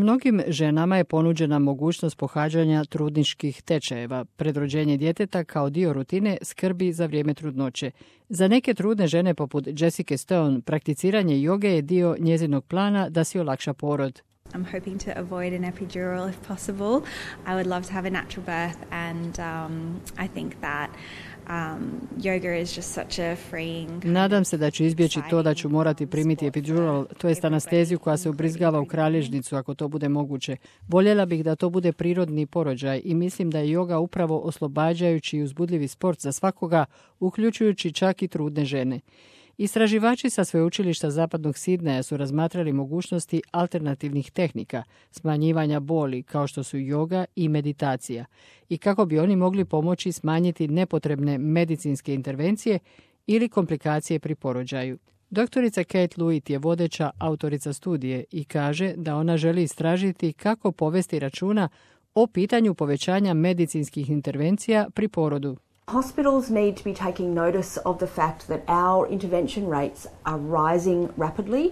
Mnogim ženama je ponuđena mogućnost pohađanja trudničkih tečajeva pred rođenje djeteta kao dio rutine skrbi za vrijeme trudnoće. Za neke trudne žene poput Jessica Stone prakticiranje joge je dio njezinog plana da si olakša porod. I'm hoping to avoid an epidural if possible. I would love to have a natural birth and I think that yoga is just such a freeing. Nadam se da ću izbjeći to da ću morati primiti epidural, to jest anesteziju koja se ubrizgava u kralježnicu ako to bude moguće. Voljela bih da to bude prirodni porođaj i mislim da je joga upravo oslobađajući i uzbudljivi sport za svakoga, uključujući čak i trudne žene. Istraživači sa sveučilišta Zapadnog Sidneja su razmatrali mogućnosti alternativnih tehnika, smanjivanja boli kao što su joga i meditacija i kako bi oni mogli pomoći smanjiti nepotrebne medicinske intervencije ili komplikacije pri porođaju. Doktorica Kate Lewitt je vodeća autorica studije i kaže da ona želi istražiti kako povesti računa o pitanju povećanja medicinskih intervencija pri porodu. Hospitals need to be taking notice of the fact that our intervention rates are rising rapidly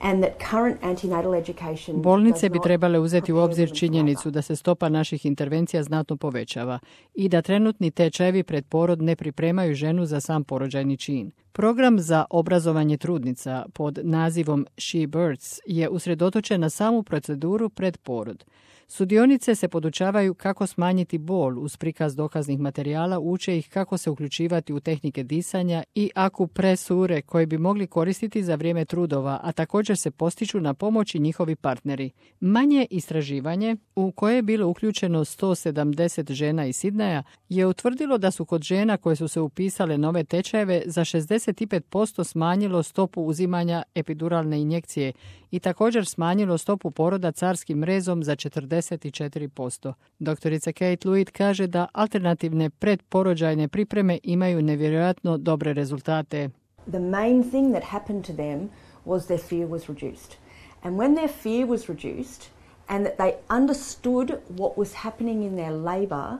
and that current antenatal education. Bolnice bi trebale uzeti u obzir činjenicu da se stopa naših intervencija znatno povećava i da trenutni tečajevi pred porod ne pripremaju ženu za sam porođajni čin. Program za obrazovanje trudnica pod nazivom She Births je usredotočen na samu proceduru pred porod. Sudionice se podučavaju kako smanjiti bol uz prikaz dokaznih materijala, uče ih kako se uključivati u tehnike disanja i akupresure koje bi mogli koristiti za vrijeme trudova, a također se postiču na pomoći njihovi partneri. Manje istraživanje, u koje je bilo uključeno 170 žena iz Sidneja, je utvrdilo da su kod žena koje su se upisale nove tečajeve za 65% smanjilo stopu uzimanja epiduralne injekcije i također smanjilo stopu poroda carskim rezom za 44%. Doktorica Kate Lewitt kaže da alternativne predporođajne pripreme imaju nevjerojatno dobre rezultate. The main thing that happened to them was their fear was reduced. And when their fear was reduced and that they understood what was happening in their labor,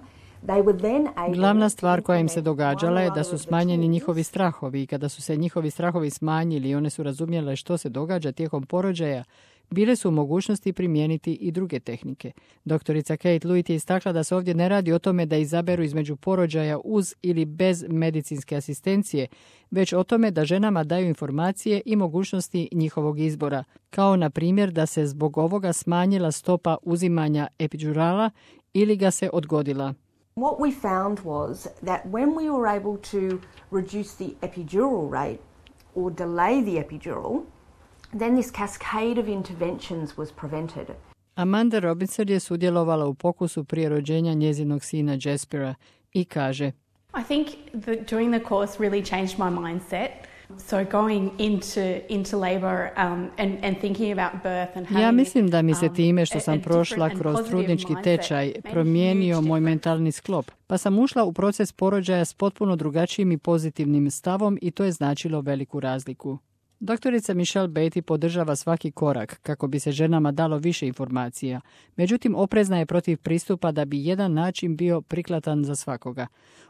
glavna stvar koja im se događala je da su smanjeni njihovi strahovi i kada su se njihovi strahovi smanjili i one su razumjele što se događa tijekom porođaja, bile su u mogućnosti primijeniti i druge tehnike. Doktorica Kate Lewitt je istakla da se ovdje ne radi o tome da izaberu između porođaja uz ili bez medicinske asistencije, već o tome da ženama daju informacije i mogućnosti njihovog izbora, kao na primjer da se zbog ovoga smanjila stopa uzimanja epidurala ili ga se odgodila. What we found was that when we were able to reduce the epidural rate or delay the epidural, then this cascade of interventions was prevented. Amanda Robinson je sudjelovala u pokusu prije rođenja njezinog sina Jaspera i kaže: I think that doing the course really changed my mindset. So going into labor and thinking about birth and having, ja mislim da mi se time što sam prošla kroz trudnički tečaj promijenio moj mentalni sklop, pa sam ušla u proces porođaja s potpuno drugačijim i pozitivnim stavom i to je značilo veliku razliku. Doktorica Michelle Beatty podržava svaki korak kako bi se ženama dalo više informacija. Međutim, oprezna je protiv pristupa da bi jedan način bio prikladan za svakoga.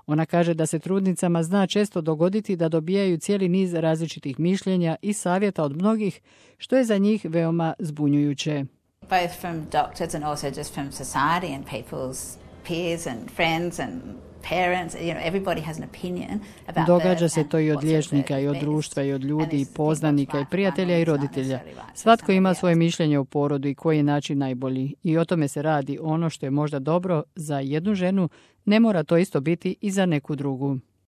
Ona kaže da se trudnicama zna često dogoditi da dobijaju cijeli niz različitih mišljenja i savjeta od mnogih, što je za njih veoma zbunjujuće. Both from doctors and also just from society and people's peers and friends and parents, everybody has an opinion about. Događa se to i od liječnika i od društva i od ljudi i poznanika i prijatelja i roditelja. Svatko ima svoje mišljenje o porodu i koji je način najbolji i o tome se radi. Ono što je možda dobro za jednu ženu ne mora to isto biti i za neku drugu.